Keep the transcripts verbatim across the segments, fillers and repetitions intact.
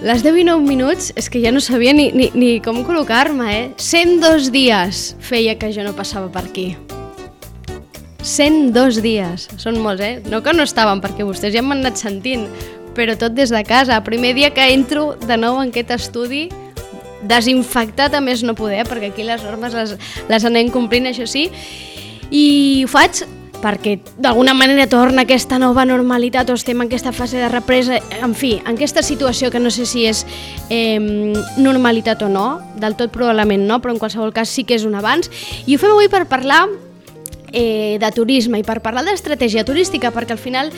Les deu i nou minuts és que ja no sabia ni, ni, ni com col·locar-me, eh? cent dos dies feia que jo no passava per aquí. cent dos dies. Són molts, eh? No que no estaven, perquè vostès ja m'han anat sentint, però tot des de casa. Primer dia que entro de nou en aquest estudi, desinfectat a més no poder, perquè aquí les normes les, les anem complint, això sí, i ho faig perquè d'alguna manera torna aquesta nova normalitat o estem en aquesta fase de represa, en fi, en aquesta situació que no sé si és eh, normalitat o no, del tot probablement no, però en qualsevol cas sí que és un avanç, i ho fem avui per parlar eh, de turisme i per parlar d'estratègia turística, perquè al final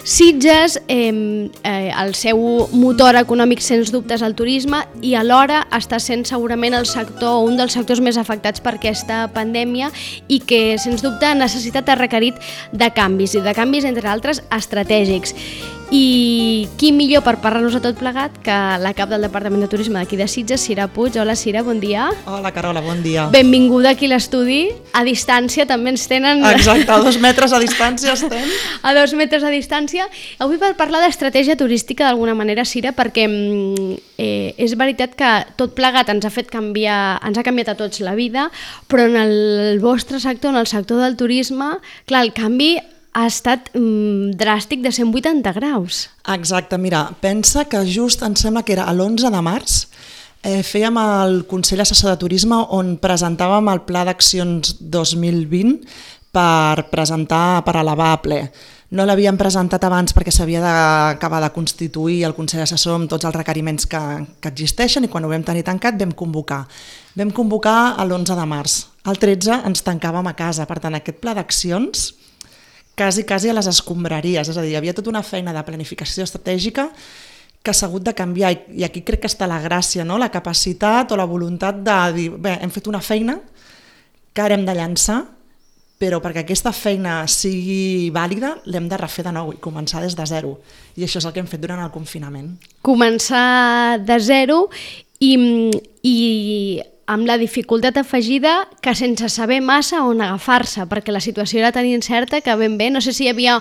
Sitges, eh, eh, el seu motor econòmic sens dubte és el turisme i alhora està sent segurament el sector, un dels sectors més afectats per aquesta pandèmia i que sens dubte ha necessitat, ha requerit de canvis i de canvis entre altres estratègics. I qui millor per parlar-nos a tot plegat que la cap del Departament de Turisme d'aquí de Sitges, Cira Puig. Hola Cira, bon dia. Hola Carola, bon dia. Benvinguda aquí a l'estudi, a distància també ens tenen... Exacte, a dos metres a distància estem. A dos metres a distància. Avui per parlar d'estratègia turística d'alguna manera, Cira, perquè eh, és veritat que tot plegat ens ha fet canviar, ens ha canviat a tots la vida, però en el vostre sector, en el sector del turisme, clar, el canvi ha estat mm, dràstic de cent vuitanta graus. Exacte, mira, pensa que just em sembla que era l'onze de març, eh, fèiem el Consell Assessor de Turisme on presentàvem el Pla d'Accions dos mil vint per presentar, per elevar a ple. No l'havíem presentat abans perquè s'havia d'acabar de constituir el Consell Assessor amb tots els requeriments que, que existeixen i quan ho vam tenir tancat vam convocar. Vam convocar l'onze de març. El tretze ens tancàvem a casa, per tant aquest pla d'accions quasi, quasi a les escombraries, és a dir, hi havia tota una feina de planificació estratègica que s'ha hagut de canviar i aquí crec que està la gràcia, no? La capacitat o la voluntat de dir, bé, hem fet una feina que ara hem de llançar, però perquè aquesta feina sigui vàlida l'hem de refer de nou i començar des de zero. I això és el que hem fet durant el confinament. Començar de zero i, i amb la dificultat afegida que sense saber massa on agafar-se, perquè la situació era tan incerta que ben bé, no sé si hi havia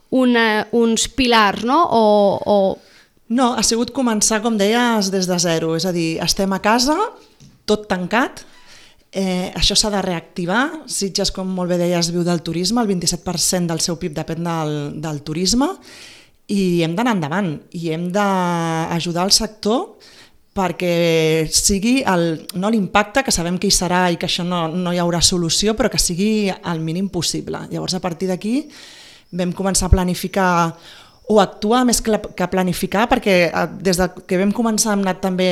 una, uns pilars, no? O, o... No, ha sigut començar, com deies, des de zero, és a dir, estem a casa, tot tancat, eh, això s'ha de reactivar, Sitges, com molt bé deies, viu del turisme, el vint-i-set per cent del seu P I B depèn del, del turisme, i hem d'anar endavant, i hem d'ajudar el sector perquè sigui el, no l'impacte, que sabem que hi serà i que això no, no hi haurà solució, però que sigui el mínim possible. Llavors, a partir d'aquí vam començar a planificar o actuar més que planificar, perquè des que vam començar hem anat també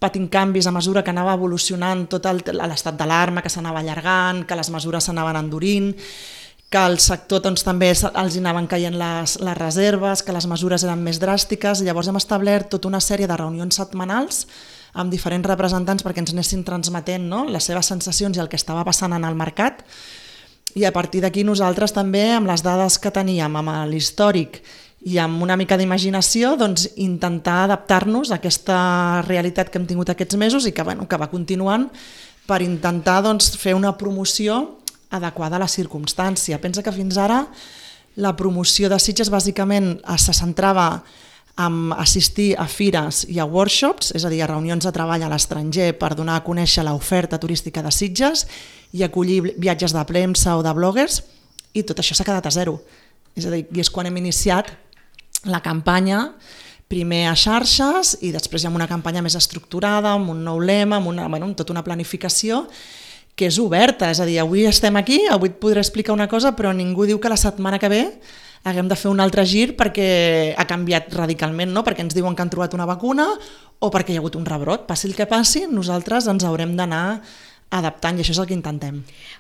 patint canvis a mesura que anava evolucionant tot l'estat d'alarma, que s'anava allargant, que les mesures s'anaven endurint, que al sector doncs, també els anaven caient les, les reserves, que les mesures eren més dràstiques. Llavors hem establert tota una sèrie de reunions setmanals amb diferents representants perquè ens anessin transmetent, no?, les seves sensacions i el que estava passant en el mercat. I a partir d'aquí nosaltres també, amb les dades que teníem, amb l'històric i amb una mica d'imaginació, doncs, intentar adaptar-nos a aquesta realitat que hem tingut aquests mesos i que, bueno, que va continuant per intentar doncs, fer una promoció adequada a la circumstància. Pensa que fins ara la promoció de Sitges bàsicament se centrava en assistir a fires i a workshops, és a dir, a reunions de treball a l'estranger per donar a conèixer l'oferta turística de Sitges i acollir viatges de premsa o de bloggers, i tot això s'ha quedat a zero. És a dir, i és quan hem iniciat la campanya, primer a xarxes i després ja amb una campanya més estructurada, amb un nou lema, amb, una, bueno, amb tota una planificació que és oberta, és a dir, avui estem aquí, avui et podré explicar una cosa, però ningú diu que la setmana que ve haguem de fer un altre gir perquè ha canviat radicalment, no? Perquè ens diuen que han trobat una vacuna o perquè hi ha hagut un rebrot. Passi el que passi, nosaltres ens haurem d'anar adaptant i això és el que intentem.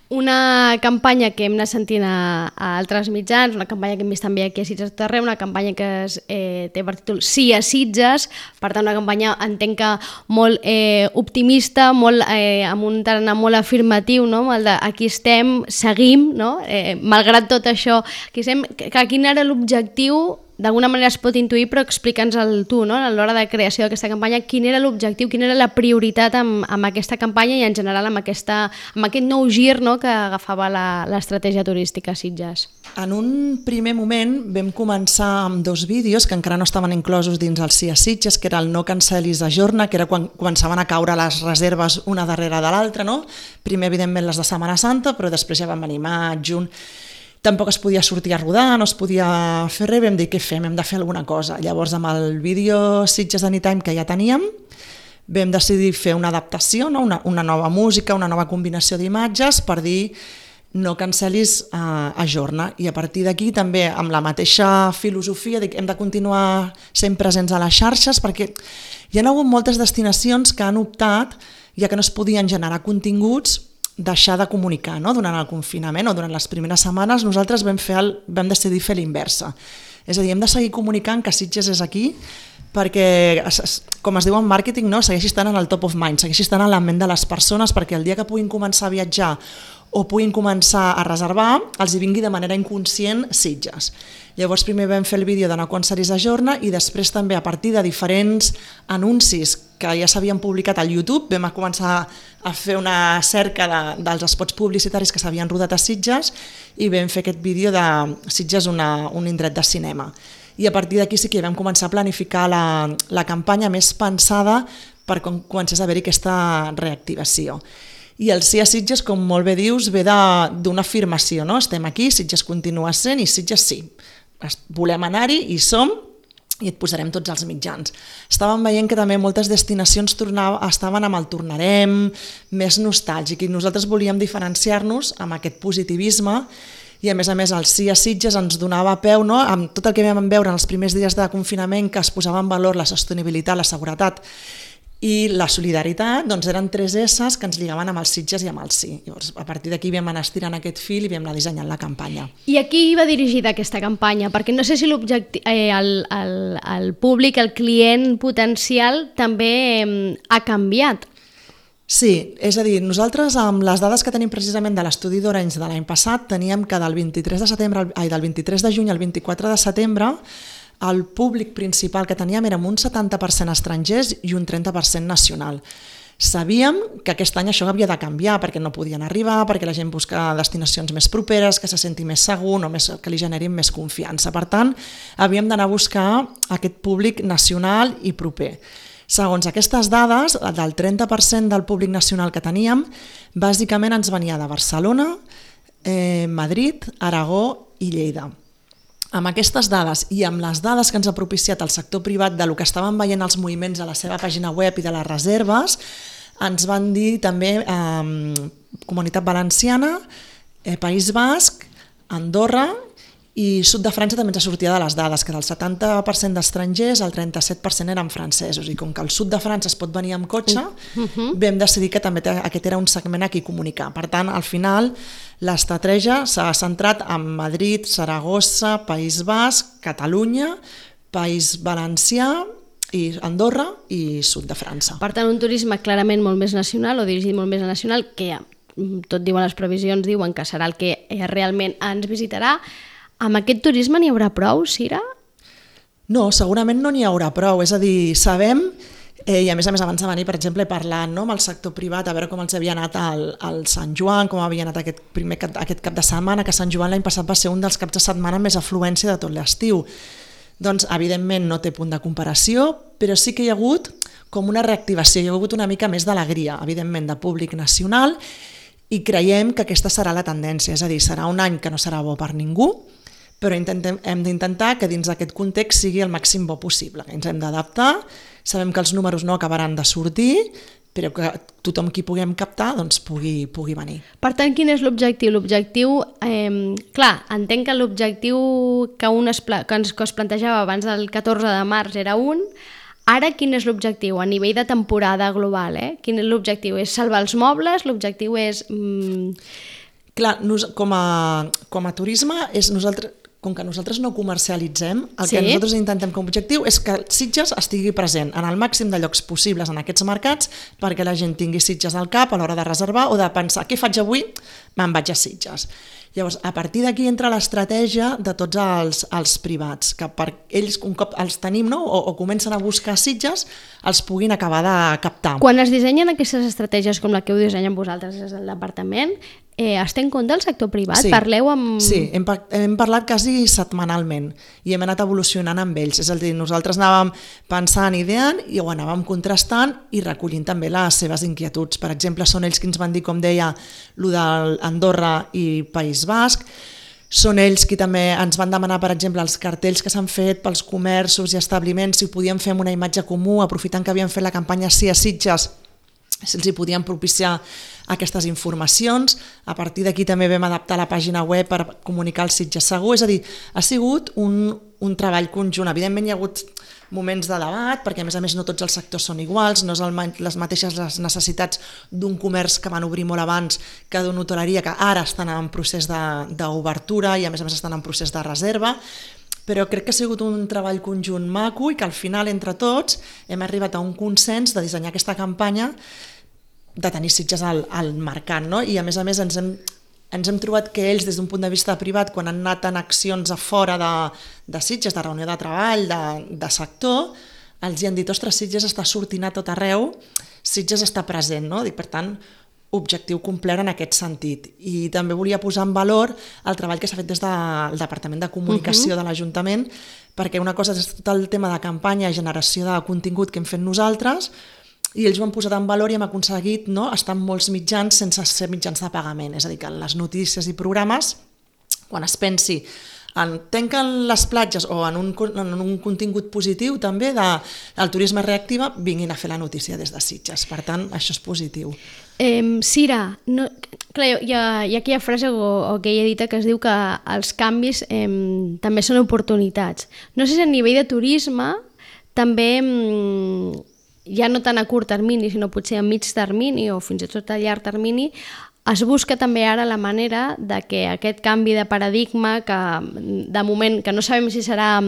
Una campanya que hem anat sentint a, a altres mitjans, una campanya que hem vist també aquí a Sitges tot arreu, una campanya que es, eh, té per títol Sí a Sitges, per tant una campanya entenc que molt eh, optimista, molt, eh, amb un tarannà molt afirmatiu, no? El de aquí estem, seguim, no? eh, malgrat tot això, aquí estem, que quin era l'objectiu d'alguna manera es pot intuir, però explica'ns el tu, no? A l'hora de creació d'aquesta campanya, quin era l'objectiu, quina era la prioritat amb, amb aquesta campanya i en general amb, aquesta, amb aquest nou gir, no?, que agafava l'estratègia turística a Sitges. En un primer moment vam començar amb dos vídeos que encara no estaven inclosos dins el Sí a Sitges, que era el No cancel·lis Ajorna, que era quan començaven a caure les reserves una darrere de l'altra, no? Primer, evidentment, les de Setmana Santa, però després ja vam venir maig, juny. Tampoc es podia sortir a rodar, no es podia fer res, vam dir què fem, hem de fer alguna cosa. Llavors amb el vídeo Sitges Anytime que ja teníem, vam decidir fer una adaptació, no? una, una nova música, una nova combinació d'imatges per dir no cancel·lis uh, Ajorna. I a partir d'aquí també amb la mateixa filosofia dic, hem de continuar sent presents a les xarxes perquè hi ha hagut moltes destinacions que han optat, ja que no es podien generar continguts, deixar de comunicar, no? Durant el confinament o durant les primeres setmanes nosaltres vam, fer el, vam decidir fer l'inversa. És a dir, hem de seguir comunicant que Sitges és aquí perquè, com es diu en màrqueting, no? Segueixi estant en el top of mind, segueixi estant en la ment de les persones perquè el dia que puguin començar a viatjar o puguin començar a reservar, els hi vingui de manera inconscient Sitges. Llavors primer vam fer el vídeo de No cancel·lis Ajorna i després també a partir de diferents anuncis que ja s'havien publicat al YouTube vam començar a fer una cerca de, dels spots publicitaris que s'havien rodat a Sitges i vam fer aquest vídeo de Sitges una, un indret de cinema. I a partir d'aquí sí que vam començar a planificar la, la campanya més pensada per quan comencés a haver-hi aquesta reactivació. I el Sí a Sitges, com molt bé dius, ve d'una afirmació, no? Estem aquí, Sitges continua sent i Sitges sí. Volem anar-hi, hi som i et posarem tots els mitjans. Estàvem veient que també moltes destinacions tornaven, estaven amb el tornarem, més nostàlgic, i nosaltres volíem diferenciar-nos amb aquest positivisme i a més a més el Sí a Sitges ens donava peu, no? Amb tot el que vam veure en els primers dies de confinament que es posava en valor la sostenibilitat, la seguretat i la solidaritat, doncs eren tres esses que ens lligaven amb els Sitges i amb el sí. Llavors, a partir d'aquí vam anar estirant aquest fil i vam anar dissenyant la campanya. I a qui va dirigida aquesta campanya? Perquè no sé si l'objectiu, eh, el, el, el públic, el client potencial també eh, ha canviat. Sí, és a dir, nosaltres amb les dades que tenim precisament de l'estudi d'Orange de l'any passat teníem que del vint-i-tres de setembre, ai, del vint-i-tres de juny al vint-i-quatre de setembre el públic principal que teníem era un setanta per cent estrangers i un trenta per cent nacional. Sabíem que aquest any això havia de canviar perquè no podien arribar, perquè la gent busca destinacions més properes, que se senti més segur, no més, que li generin més confiança. Per tant, havíem d'anar a buscar aquest públic nacional i proper. Segons aquestes dades, del trenta per cent del públic nacional que teníem, bàsicament ens venia de Barcelona, eh, Madrid, Aragó i Lleida. Amb aquestes dades i amb les dades que ens ha propiciat el sector privat de lo que estaven veient els moviments a la seva pàgina web i de les reserves, ens van dir també eh, Comunitat Valenciana, eh, País Basc, Andorra i Sud de França també ens sortia de les dades, que del setanta per cent d'estrangers el trenta-set per cent eren francesos i com que al sud de França es pot venir amb cotxe, uh-huh. vam decidir que també aquest era un segment a qui comunicar. Per tant, al final, l'estratègia s'ha centrat en Madrid, Saragossa, País Basc, Catalunya, País Valencià, i Andorra i sud de França. Per tant, un turisme clarament molt més nacional o dirigit molt més a nacional, que tot diuen les previsions, diuen que serà el que realment ens visitarà. Amb aquest turisme n'hi haurà prou, Cira? No, segurament no n'hi haurà prou. És a dir, sabem, eh, i a més a més abans de venir, per exemple, parlant no, amb el sector privat, a veure com els havia anat al, al Sant Joan, com havia anat aquest, primer cap, aquest cap de setmana, que Sant Joan l'any passat va ser un dels caps de setmana més afluència de tot l'estiu. Doncs, evidentment, no té punt de comparació, però sí que hi ha hagut com una reactivació, hi ha hagut una mica més d'alegria, evidentment, de públic nacional, i creiem que aquesta serà la tendència, és a dir, serà un any que no serà bo per ningú, però intentem, hem d'intentar que dins d'aquest context sigui el màxim bo possible, que ens hem d'adaptar, sabem que els números no acabaran de sortir, però que tothom qui puguem captar doncs pugui, pugui venir. Per tant, quin és l'objectiu? L'objectiu, eh, clar, entenc que l'objectiu que, un es, que, ens, que es plantejava abans del catorze de març era un, ara quin és l'objectiu a nivell de temporada global? Eh? Quin és l'objectiu? És salvar els mobles? L'objectiu és... Mm... Clar, nos, com, a, com a turisme, és nosaltres... com que nosaltres no comercialitzem, el sí. que nosaltres intentem com a objectiu és que Sitges estigui present en el màxim de llocs possibles en aquests mercats perquè la gent tingui Sitges al cap a l'hora de reservar o de pensar què faig avui? Me'n vaig a Sitges. Llavors, a partir d'aquí entra l'estratègia de tots els, els privats, que per ells, un cop els tenim, no? o, o comencen a buscar Sitges, els puguin acabar de captar. Quan es dissenyen aquestes estratègies com la que heu dissenyat vosaltres des del departament, eh, es té en compte el sector privat? Sí, Parleu amb... sí hem, hem parlat quasi setmanalment i hem anat evolucionant amb ells. És a dir, nosaltres anàvem pensant, ideant i ho anàvem contrastant i recollint també les seves inquietuds. Per exemple, són ells qui ens van dir, com deia, lo d'Andorra i País Basc. Són ells qui també ens van demanar, per exemple, els cartells que s'han fet pels comerços i establiments, si ho podíem fer amb una imatge comú, aprofitant que havien fet la campanya Sí a Sitges, si els hi podien propiciar aquestes informacions. A partir d'aquí també vam adaptar la pàgina web per comunicar el Sitges Segur. És a dir, ha sigut un, un treball conjunt. Evidentment hi ha hagut moments de debat, perquè a més a més no tots els sectors són iguals, no és el, les mateixes les necessitats d'un comerç que van obrir molt abans que d'una hoteleria que ara estan en procés d'obertura i a més a més estan en procés de reserva, però crec que ha sigut un treball conjunt maco i que al final entre tots hem arribat a un consens de dissenyar aquesta campanya, de tenir Sitges al, al mercat, no? I a més a més ens hem, ens hem trobat que ells des d'un punt de vista privat, quan han anat en accions a fora de, de Sitges, de reunió de treball, de, de sector, els hi han dit, ostres, Sitges està sortint a tot arreu, Sitges està present, no? Dic, per tant, objectiu complet en aquest sentit. I també volia posar en valor el treball que s'ha fet des del Departament de Comunicació uh-huh. de l'Ajuntament, perquè una cosa és tot el tema de campanya i generació de contingut que hem fet nosaltres, i ells ho han posat en valor i hem aconseguit, no, estar en molts mitjans sense ser mitjans de pagament. És a dir, que en les notícies i programes, quan es pensi en tanquen les platges o en un, en un contingut positiu també de, del turisme reactiva, vinguin a fer la notícia des de Sitges. Per tant, això és positiu. Eh, Cira, no, clar, hi, ha, hi ha aquella frase o, o aquella dita que es diu que els canvis eh, també són oportunitats. No sé si a nivell de turisme també... Eh, ja no tant a curt termini, sinó potser a mig termini o fins i tot a llarg termini, es busca també ara la manera de que aquest canvi de paradigma, que de moment que no sabem si serà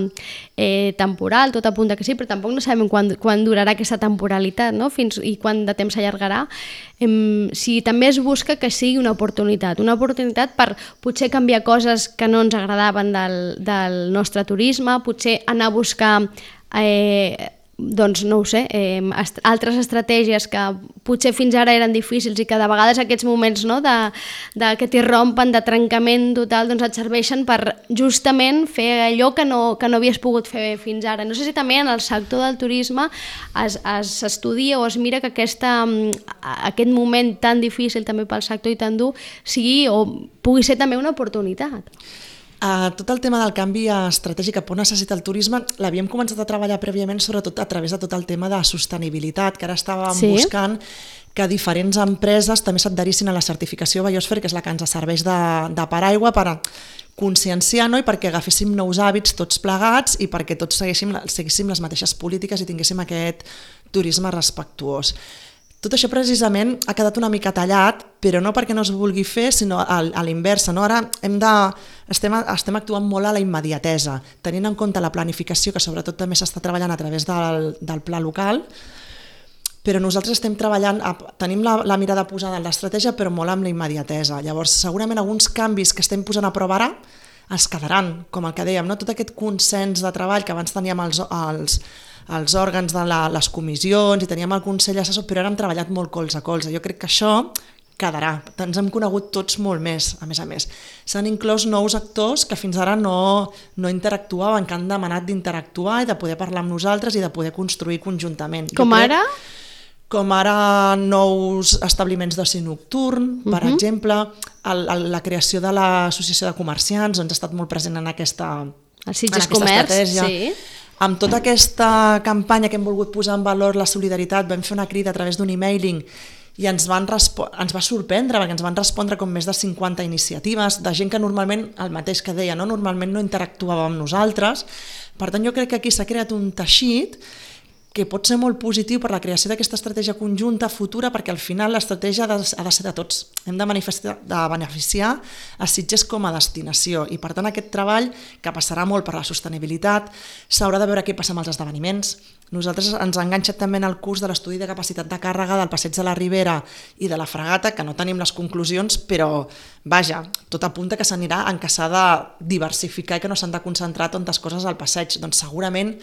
eh, temporal, tot apunta que sí, però tampoc no sabem quan, quan durarà aquesta temporalitat, no? Fins i quant de temps s'allargarà, eh, si també es busca que sigui una oportunitat, una oportunitat per potser canviar coses que no ens agradaven del, del nostre turisme, potser anar a buscar... Eh, doncs no ho sé, eh, est- altres estratègies que potser fins ara eren difícils i que de vegades aquests moments, no, de, de que t'hi rompen, de trencament total, doncs et serveixen per justament fer allò que no, que no havies pogut fer fins ara. No sé si també en el sector del turisme es, es estudia o es mira que aquesta, aquest moment tan difícil també pel sector i tan dur sigui o pugui ser també una oportunitat. Uh, tot el tema del canvi estratègic que necessita el turisme l'havíem començat a treballar prèviament sobretot a través de tot el tema de sostenibilitat, que ara estàvem sí. buscant que diferents empreses també s'adherissin a la certificació Biosphere, que és la que ens serveix de, de paraigua per conscienciar, no? I perquè agaféssim nous hàbits tots plegats i perquè tots seguíssim, seguíssim les mateixes polítiques i tinguéssim aquest turisme respectuós. Tot això precisament ha quedat una mica tallat, però no perquè no es vulgui fer, sinó a, a l'inversa. No? Ara hem de, estem, estem actuant molt a la immediatesa, tenint en compte la planificació, que sobretot també s'està treballant a través del, del pla local, però nosaltres estem treballant, tenim la, la mirada posada en l'estratègia, però molt amb la immediatesa. Llavors, segurament alguns canvis que estem posant a prova ara es quedaran, com el que dèiem, no? Tot aquest consens de treball que abans teníem els, els, els òrgans de la, les comissions i teníem el Consell Assessor, però ara hem treballat molt colze a colze. Jo crec que això quedarà. Ens hem conegut tots molt més, a més a més. S'han inclòs nous actors que fins ara no, no interactuaven, que han demanat d'interactuar i de poder parlar amb nosaltres i de poder construir conjuntament. Com jo crec, ara? Com ara nous establiments d'oci nocturn, per uh-huh. exemple, el, el, la creació de l'associació de comerciants, doncs ha estat molt present en aquesta, el Sitges en aquesta Comerç, estratègia. sí. Amb tota aquesta campanya que hem volgut posar en valor la solidaritat, vam fer una crida a través d'un emailing i ens, van respo- ens va sorprendre perquè ens van respondre com més de cinquanta iniciatives de gent que normalment, el mateix que deia, no? normalment no interactuava amb nosaltres. Per tant, jo crec que aquí s'ha creat un teixit que pot ser molt positiu per la creació d'aquesta estratègia conjunta futura, perquè al final l'estratègia ha de, ha de ser de tots. Hem de, manifestar, de beneficiar a Sitges com a destinació i per tant aquest treball, que passarà molt per la sostenibilitat, s'haurà de veure què passa amb els esdeveniments. Nosaltres ens ha enganxat també en el curs de l'estudi de capacitat de càrrega del Passeig de la Ribera i de la Fragata, que no tenim les conclusions, però vaja, tot apunta que s'anirà en què s'ha de diversificar i que no s'han de concentrar tantes coses al passeig. Doncs segurament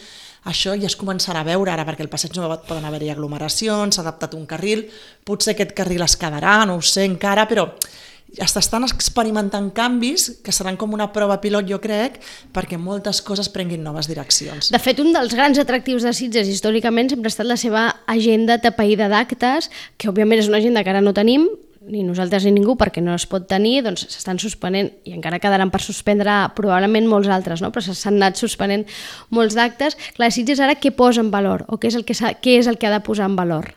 això ja es començarà a veure ara, perquè al passeig no poden haver-hi aglomeracions, s'ha adaptat un carril, potser aquest carril es quedarà, no ho sé encara, però estan experimentant canvis que seran com una prova pilot, jo crec, perquè moltes coses prenguin noves direccions. De fet, un dels grans atractius de Sitges històricament sempre ha estat la seva agenda tapaïda d'actes, que òbviament és una agenda que ara no tenim, ni nosaltres ni ningú, perquè no es pot tenir, doncs s'estan suspenent, i encara quedaran per suspendre probablement molts altres, no? Però s'han anat suspenent molts d'actes. Clar, Sitges ara què posa en valor? O què és el que, què és el que ha de posar en valor?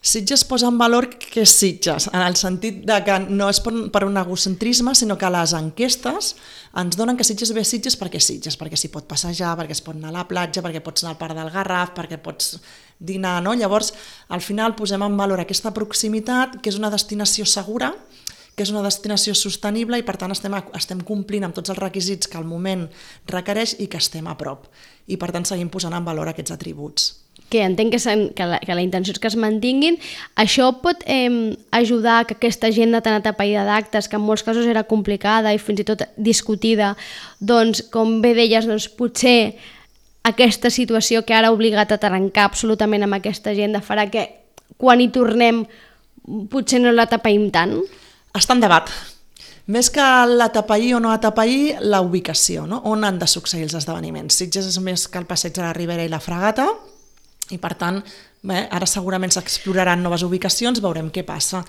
Sitges posa en valor que és Sitges, en el sentit de que no és per un egocentrisme, sinó que les enquestes ens donen que Sitges ve a Sitges perquè és Sitges, perquè s'hi pot passejar, perquè es pot anar a la platja, perquè pots anar al Parc del Garraf, perquè pots dinar, no? Llavors, al final posem en valor aquesta proximitat, que és una destinació segura, que és una destinació sostenible i per tant estem, estem complint amb tots els requisits que el moment requereix i que estem a prop. I per tant seguim posant en valor aquests atributs. Que entenc que, que, la, que la intenció és que es mantinguin. Això pot eh, ajudar que aquesta agenda tan atapeïda d'actes, que en molts casos era complicada i fins i tot discutida, doncs, com bé deies, doncs, potser aquesta situació que ara ha obligat a trencar absolutament amb aquesta agenda farà que quan hi tornem potser no la tapeïm tant? Està en debat. Més que l'atapeir o no atapeir, la ubicació, no? On han de succeir els esdeveniments. Sitges és més que el Passeig de la Ribera i la Fragata, i per tant, bé, ara segurament s'exploraran noves ubicacions, veurem què passa.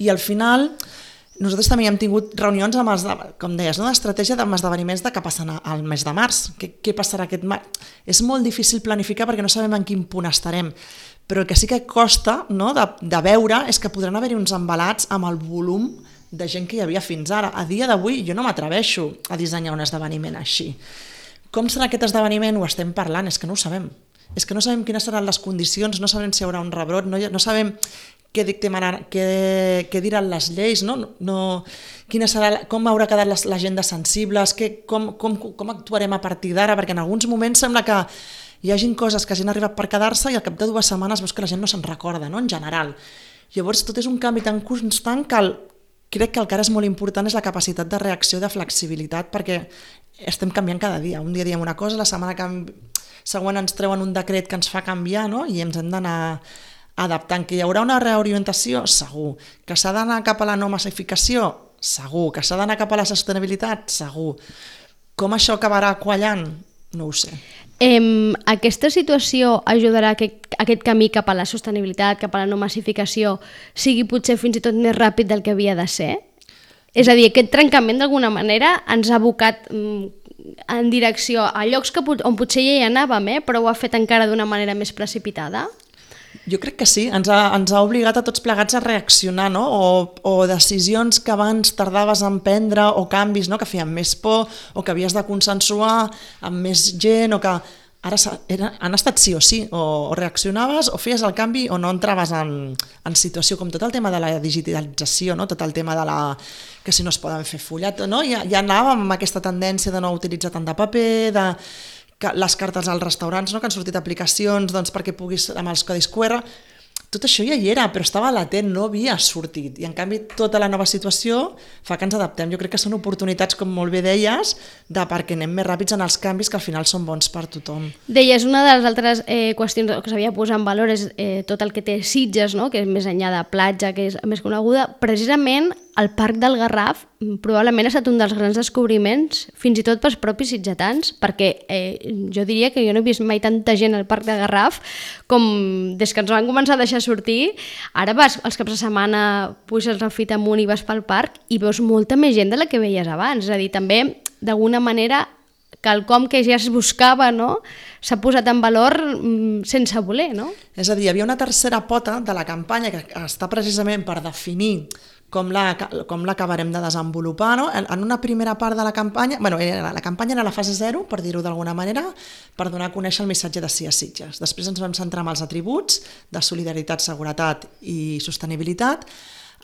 I al final, nosaltres també hem tingut reunions amb els, com deies, no? d'estratègia amb esdeveniments de què passarà al mes de març. Què, què passarà aquest març? És molt difícil planificar perquè no sabem en quin punt estarem, però el que sí que costa, no? de, de veure és que podran haver-hi uns embalats amb el volum de gent que hi havia fins ara. A dia d'avui jo no m'atreveixo a dissenyar un esdeveniment així. Com serà aquest esdeveniment? Ho estem parlant, és que no ho sabem. És que no sabem quines seran les condicions, no sabem si hi haurà un rebrot, no, no sabem què, dictamaran, què, què diran les lleis, no? No, quina serà, com haurà quedat l'agenda sensibles, què, com, com, com actuarem a partir d'ara, perquè en alguns moments sembla que hi hagin coses que hagin arribat per quedar-se i al cap de dues setmanes veus que la gent no se'n recorda, no? En general. Llavors tot és un canvi tan constant que el, crec que el que ara és molt important és la capacitat de reacció i de flexibilitat, perquè estem canviant cada dia. Un dia diem una cosa, la setmana que següent ens treuen un decret que ens fa canviar, no? I ens hem d'anar adaptant. Que hi haurà una reorientació? Segur. Que s'ha d'anar cap a la no massificació? Segur. Que s'ha d'anar cap a la sostenibilitat? Segur. Com això acabarà quallant? No ho sé. Eh, aquesta situació ajudarà que aquest camí cap a la sostenibilitat, cap a la no massificació, sigui potser fins i tot més ràpid del que havia de ser? És a dir, aquest trencament d'alguna manera ens ha abocat en direcció a llocs que, on potser ja hi anàvem, eh? Però ho ha fet encara d'una manera més precipitada? Jo crec que sí, ens ha, ens ha obligat a tots plegats a reaccionar, no? O, o decisions que abans tardaves en prendre, o canvis, no? Que feien més por, o que havies de consensuar amb més gent, o que ara era, han estat sí o sí, o, o reaccionaves o feies el canvi o no entraves en, en situació, com tot el tema de la digitalització, no? Tot el tema de la que si no es poden fer fullet, no? Ja, ja anàvem amb aquesta tendència de no utilitzar tant de paper, de les cartes als restaurants, no? Que han sortit aplicacions doncs, perquè puguis amb els codis cu erre. Tot això ja hi era, però estava latent, no havia sortit. I en canvi tota la nova situació fa que ens adaptem. Jo crec que són oportunitats, com molt bé deies, de perquè anem més ràpids en els canvis que al final són bons per tothom. Deies, una de les altres eh, qüestions que s'havia posat en valor és eh, tot el que té Sitges, no? Que és més enllà de platja, que és més coneguda. Precisament el Parc del Garraf probablement ha estat un dels grans descobriments, fins i tot pels propis sitgetans, perquè eh, jo diria que jo no he vist mai tanta gent al Parc del Garraf com des que ens van començar a deixar sortir. Ara vas els caps de setmana, puges el Fit amunt i vas pel parc i veus molta més gent de la que veies abans. És a dir, també, d'alguna manera, quelcom que ja es buscava, no? S'ha posat en valor sense voler, no? És a dir, hi havia una tercera pota de la campanya que està precisament per definir com la, com l'acabarem de desenvolupar. No? En una primera part de la campanya, bueno, la campanya era la fase zero, per dir-ho d'alguna manera, per donar a conèixer el missatge de Sí a Sitges. Després ens vam centrar en els atributs de solidaritat, seguretat i sostenibilitat.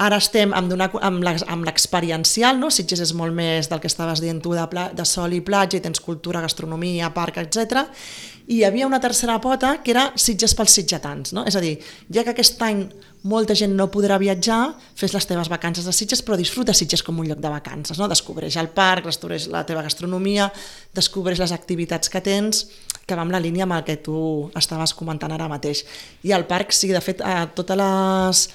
Ara estem amb, donar, amb l'experiencial, no? Sitges és molt més del que estaves dient tu, de, pla, de sol i platja, i tens cultura, gastronomia, parc, etcètera. I hi havia una tercera pota que era Sitges pels sitgetans, no? És a dir, ja que aquest any molta gent no podrà viatjar, fes les teves vacances a Sitges, però disfruta Sitges com un lloc de vacances, no? Descobreix el parc, descobreix la teva gastronomia, descobreix les activitats que tens, que va amb la línia amb el que tu estaves comentant ara mateix. I al parc, sí, de fet, a totes les...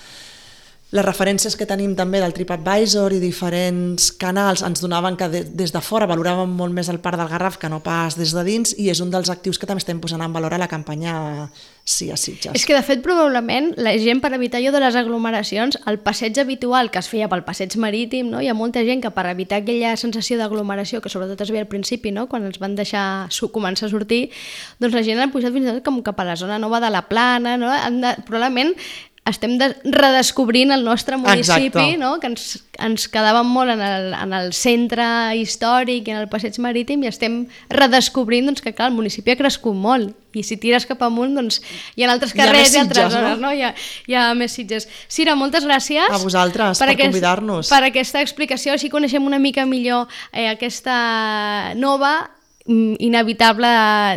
Les referències que tenim també del TripAdvisor i diferents canals ens donaven que de, des de fora valoràvem molt més el Parc del Garraf que no pas des de dins, i és un dels actius que també estem posant en valor a la campanya Sí a Sitges. És que de fet probablement la gent, per evitar allò de les aglomeracions, el passeig habitual que es feia pel passeig marítim, no? Hi ha molta gent que per evitar aquella sensació d'aglomeració que sobretot es veia al principi, no? Quan els van deixar començar a sortir, doncs la gent ha pujat fins i tot com cap a la zona nova de la Plana, no? Han de, probablement estem de, redescobrint el nostre municipi, no? Que ens, ens quedàvem molt en el, en el centre històric i en el passeig marítim, i estem redescobrint doncs, que clar, el municipi ha crescut molt, i si tires cap amunt doncs, hi ha altres carrers i altres zones, no? Hi ha, hi ha més Sitges. Sira, moltes gràcies a vosaltres per, per aquest, convidar-nos, per aquesta explicació, així coneixem una mica millor eh, aquesta nova inevitable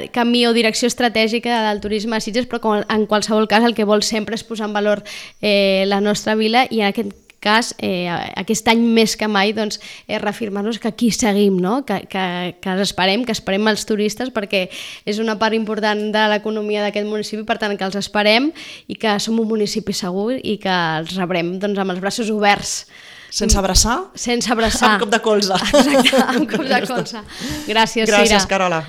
camí o direcció estratègica del turisme a Sitges, però com en qualsevol cas el que vol sempre és posar en valor eh, la nostra vila, i en aquest cas, eh, aquest any més que mai, doncs, eh, reafirmar-nos que aquí seguim, no? que, que, que els esperem, que esperem els turistes, perquè és una part important de l'economia d'aquest municipi, per tant que els esperem i que som un municipi segur i que els rebrem doncs, amb els braços oberts. Sense abraçar? Sense abraçar. Amb cop de colze. Exacte, amb cop de colze. Gràcies, Sira. Gràcies, Carola.